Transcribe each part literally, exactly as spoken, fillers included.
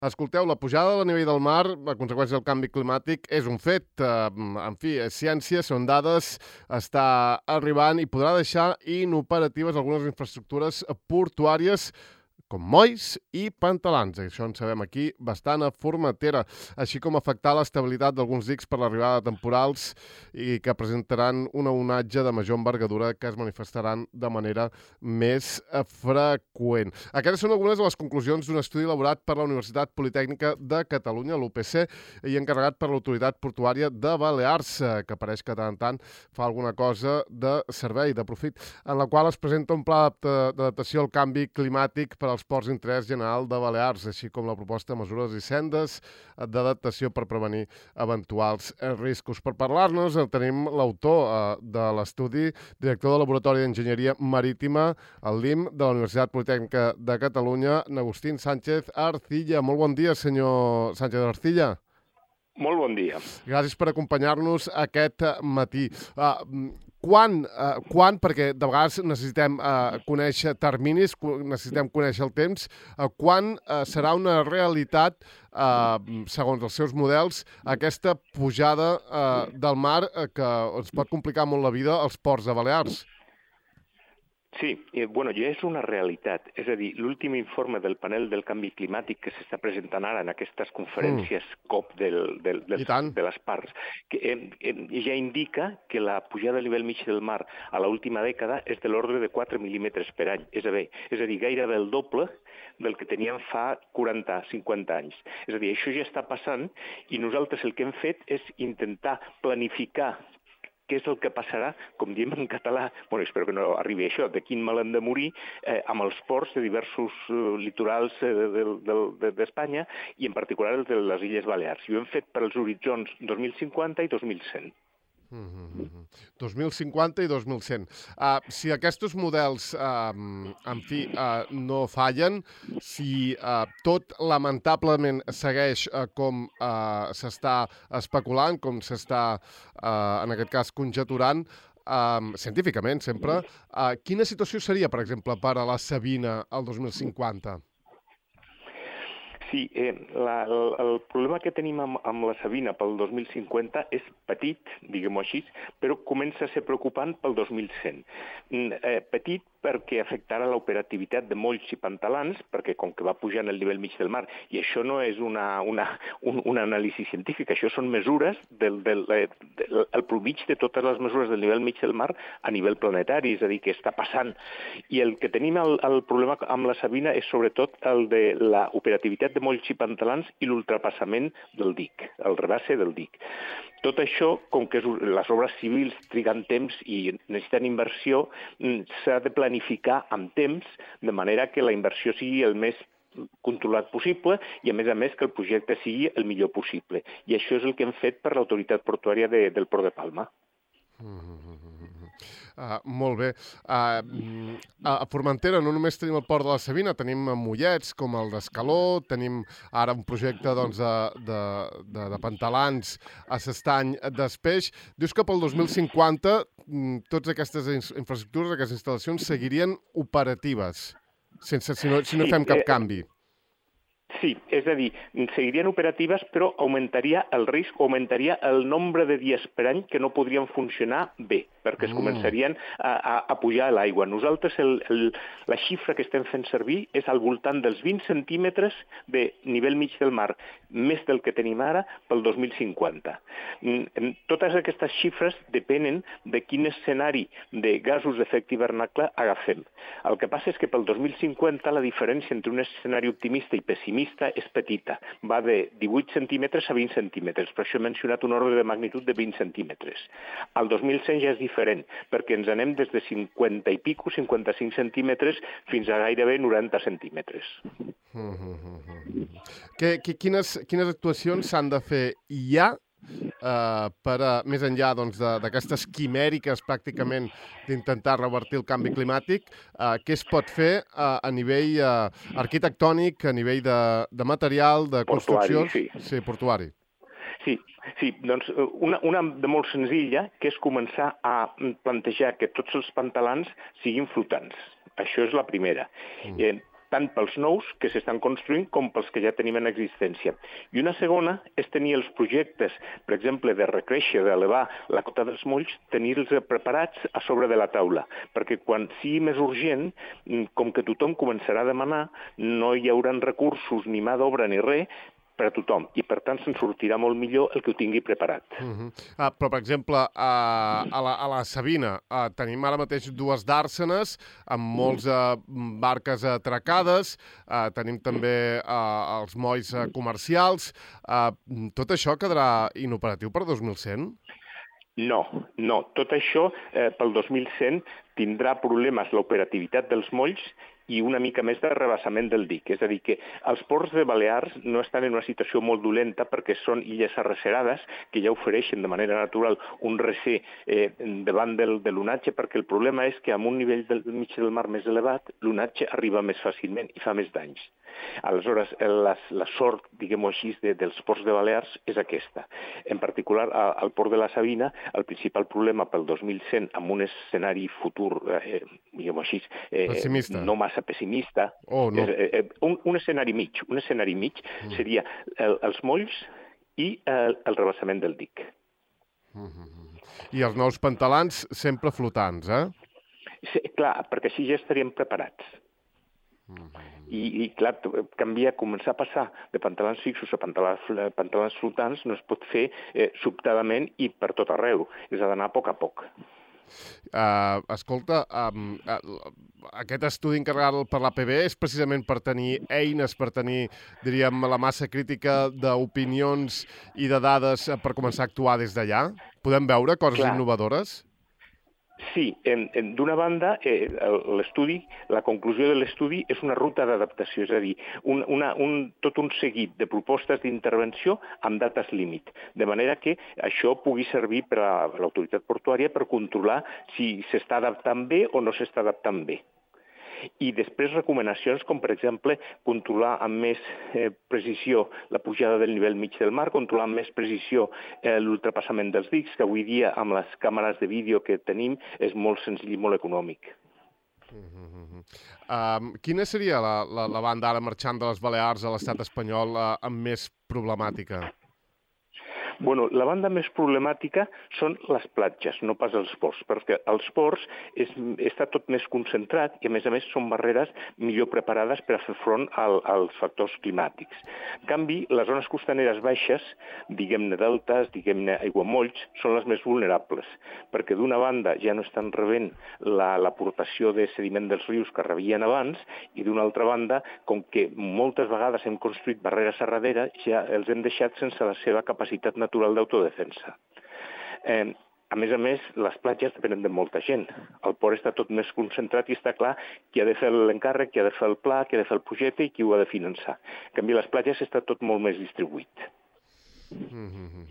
Escolteu, la pujada del nivell del mar, a conseqüència del canvi climàtic, és un fet. En fi, és ciència, són dades, està arribant i podrà deixar inoperatives algunes infraestructures portuàries com molls i pantalans. Això en sabem aquí bastant a Formentera, així com afectar l'estabilitat d'alguns dics per l'arribada de temporals i que presentaran una onatge de major envergadura que es manifestaran de manera més freqüent. Aquestes són algunes de les conclusions d'un estudi elaborat per la Universitat Politècnica de Catalunya, l'U P C, i encarregat per l'Autoritat Portuària de Balears, que pareix que de tant en tant fa alguna cosa de servei, de profit, en la qual es presenta un pla d'adaptació al canvi climàtic per als ports d'interès general de Balears, així com la proposta de mesures i sendes d'adaptació per prevenir eventuals riscos. Per parlar-nos tenim l'autor eh, de l'estudi, director del Laboratori d'Enginyeria Marítima, al L I M, de la Universitat Politècnica de Catalunya, Agustín Sánchez Arcilla. Molt bon dia, senyor Sánchez Arcilla. Molt bon dia. Gràcies per acompanyar-nos aquest matí. Uh, quan, uh, quan, perquè de vegades necessitem uh, conèixer terminis, necessitem conèixer el temps, uh, quan uh, serà una realitat, uh, segons els seus models, aquesta pujada uh, del mar uh, que ens pot complicar molt la vida als ports de Balears? Sí, eh, bueno, ja és una realitat. És a dir, l'últim informe del panel del canvi climàtic que s'està presentant ara en aquestes conferències mm. COP del, del, del, de les parts, que eh, eh, ja indica que la pujada del nivell mig del mar a l'última dècada és de l'ordre de quatre mil·límetres per any. És a dir, és a dir, gairebé el doble del que teníem fa quaranta cinquanta anys. És a dir, això ja està passant i nosaltres el que hem fet és intentar planificar què és el que passarà, com diem en català, bueno, espero que no arribi a això, de quin mal hem de morir, eh, amb els ports de diversos eh, litorals eh, d'Espanya i en particular els de les Illes Balears. I ho hem fet per als horitzons dos mil cinquanta i dos mil cent. Mm-hmm. dos mil cinquanta i dos mil cent. Uh, si aquests models, uh, en fi, uh, no fallen, si uh, tot lamentablement segueix uh, com uh, s'està especulant, com s'està, uh, en aquest cas, conjeturant, uh, científicament sempre, uh, quina situació seria, per exemple, per a la Sabina el dos mil cinquanta? Sí, eh, la, el, el problema que tenim amb, amb la Sabina pel dos mil cinquanta és petit, diguem-ho així, però comença a ser preocupant pel dos mil cent. Eh, petit perquè afectarà l'operativitat de molls i pantalans, perquè com que va pujant el nivell mig del mar, i això no és una, una, un, una anàlisi científica, això són mesures del, del, del el promig de totes les mesures del nivell mig del mar a nivell planetari, és a dir, que està passant. I el que tenim el, el problema amb la Sabina és sobretot el de l'operativitat de molls i pantalans i l'ultrapassament del dic, el rebasse del dic. Tot això, com que les obres civils triguen temps i necessiten inversió, s'ha de planificar amb temps, de manera que la inversió sigui el més controlat possible i, a més a més, que el projecte sigui el millor possible. I això és el que hem fet per l'autoritat portuària de, del Port de Palma. Mm-hmm. Uh, molt bé. Uh, a Formentera no només tenim el port de la Sabina, tenim mollets com el d'Escaló, tenim ara un projecte doncs, de, de, de, de pantalans a s'estany d'Espeix. Dius que pel dos mil cinquanta totes aquestes infraestructures, aquestes instal·lacions seguirien operatives, sense, si, no, si no fem cap canvi. Sí, és a dir, seguirien operatives, però augmentaria el risc, augmentaria el nombre de dies per any que no podrien funcionar bé, perquè es començarien a, a, a pujar a l'aigua. Nosaltres el, el, la xifra que estem fent servir és al voltant dels vint centímetres de nivell mig del mar, més del que tenim ara pel dos mil cinquanta. Totes aquestes xifres depenen de quin escenari de gasos d'efecte hivernacle agafem. El que passa és que pel dos mil cinquanta la diferència entre un escenari optimista i pessimista és petita, va de divuit centímetres a vint centímetres, per això he mencionat un ordre de magnitud de vint centímetres. El dos mil cent ja és diferent, perquè ens anem des de cinquanta i pico, cinquanta-cinc centímetres, fins a gairebé noranta centímetres. Mm-hmm. Que, que, quines, quines actuacions s'han de fer ja Uh, per, uh, més enllà doncs, d'aquestes quimèriques pràcticament d'intentar revertir el canvi climàtic, uh, què es pot fer uh, a nivell uh, arquitectònic, a nivell de, de material, de construcció? Portuari, sí. Sí, portuari. Sí, sí, doncs una, una de molt senzilla, que és començar a plantejar que tots els pantalans siguin flotants. Això és la primera. Mm. Eh, tant pels nous que s'estan construint com pels que ja tenim en existència. I una segona és tenir els projectes, per exemple, de recréixer, d'elevar la cota dels molls, tenir-los preparats a sobre de la taula, perquè quan sigui més urgent, com que tothom començarà a demanar, no hi haurà recursos, ni mà d'obra, ni res, per a tothom, i per tant se'n sortirà molt millor el que ho tingui preparat. Uh -huh. uh, però, per exemple, uh, a, la, a la Savina uh, tenim ara mateix dues dàrsenes amb molts uh, barques atracades, uh, tenim també uh, els molls uh, comercials. Uh, tot això quedarà inoperatiu per dos mil cent? No, no. Tot això eh, pel dos mil cent tindrà problemes l'operativitat dels molls i una mica més de rebassament del dic. És a dir, que els ports de Balears no estan en una situació molt dolenta perquè són illes arrecerades que ja ofereixen de manera natural un recer eh, davant del, de l'onatge, perquè el problema és que amb un nivell del mig del mar més elevat l'onatge arriba més fàcilment i fa més danys. Aleshores, la, la sort, diguem-ho així, de, dels ports de Balears és aquesta. En particular, a, al port de la Savina, el principal problema pel dos mil cent, amb un escenari futur, eh, diguem-ho així, eh, no massa pessimista, oh, no. eh, eh, un, un escenari mig, un escenari mig mm. seria el, els molls i el, el rebassament del dic. Mm -hmm. I els nous pantalans sempre flotants, eh? Sí, clar, perquè així ja estaríem preparats. Mm -hmm. I, i clar, canviar, començar a passar de pantalans fixos a pantalans, pantalans flotants no es pot fer eh, sobtadament i per tot arreu. És d'anar a poc a poc. Uh, escolta, um, uh, aquest estudi encarregat per l'A P B és precisament per tenir eines, per tenir, diríem, la massa crítica d'opinions i de dades per començar a actuar des d'allà? Podem veure coses Clar. innovadores? Sí, d'una banda, eh, l'estudi, la conclusió de l'estudi és una ruta d'adaptació, és a dir, un, una, un, tot un seguit de propostes d'intervenció amb dates límit, de manera que això pugui servir per a l'autoritat portuària per controlar si s'està adaptant bé o no s'està adaptant bé. I després recomanacions com, per exemple, controlar amb més eh, precisió la pujada del nivell mig del mar, controlar amb més precisió eh, l'ultrapassament dels dics, que avui dia amb les càmeres de vídeo que tenim és molt senzill i molt econòmic. Mm-hmm. um, quina seria la, la, la banda ara marxant de les Balears a l'estat espanyol uh, amb més problemàtica? Bueno, la banda més problemàtica són les platges, no pas els ports, perquè els ports és, està tot més concentrat i, a més a més, són barreres millor preparades per a fer front al, als factors climàtics. En canvi, les zones costaneres baixes, diguem-ne deltes, diguem-ne aiguamolls, són les més vulnerables, perquè d'una banda ja no estan rebent l'aportació de sediment dels rius que rebien abans i d'una altra banda, com que moltes vegades hem construït barreres a darrere, ja els hem deixat sense la seva capacitat natural natural d'autodefensa. Eh, a més a més, les platges depenen de molta gent. El port està tot més concentrat i està clar qui ha de fer l'encàrrec, qui ha de fer el pla, qui ha de fer el projecte i qui ho ha de finançar. En canvi, les platges està tot molt més distribuït. Mm-hmm.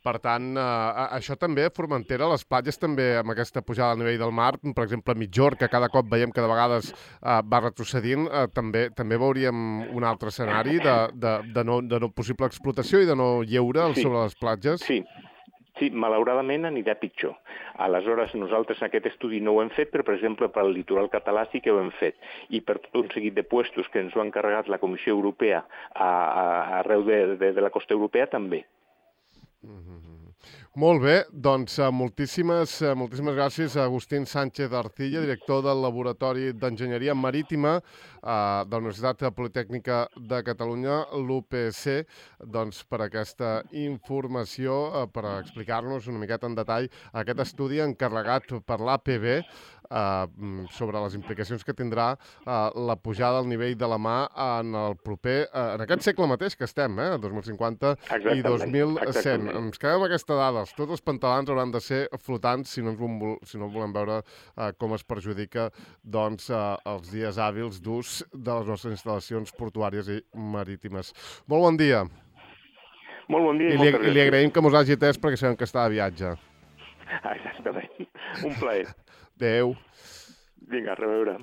Per tant, eh, això també a Formentera, les platges també amb aquesta pujada al nivell del mar, per exemple a Mitjor, que cada cop veiem que de vegades eh, va retrocedint, eh, també també veuríem un altre escenari de, de, de, no, de no possible explotació i de no lleure sí, sobre les platges? Sí, sí, malauradament anirà pitjor. Aleshores, nosaltres en aquest estudi no ho hem fet, però, per exemple, per al litoral català sí que ho hem fet. I per tot un seguit de puestos que ens ho ha encarregat la Comissió Europea a, a, arreu de, de, de la costa europea també. Mm-hmm. Molt bé, doncs moltíssimes, moltíssimes gràcies a Agustín Sánchez Arcilla, director del Laboratori d'Enginyeria Marítima eh, de la Universitat Politècnica de Catalunya, l'U P C, doncs, per aquesta informació, eh, per explicar-nos una miqueta en detall aquest estudi encarregat per l'A P B eh, sobre les implicacions que tindrà eh, la pujada al nivell de la mà en el proper, eh, en aquest segle mateix que estem, eh, dos mil cinquanta exactament, i dos mil cent. Exactament. Ens quedem amb aquesta dada. Tots els pantalans hauran de ser flotants si no, vol, si no volem veure eh, com es perjudica doncs, eh, els dies hàbils d'ús de les nostres instal·lacions portuàries i marítimes. Molt bon dia. Molt bon dia i, I, li, i li agraïm que mos hagi atès perquè sabem que està de viatge. Exactament. Un plaer. Adéu. Vinga, a reveure.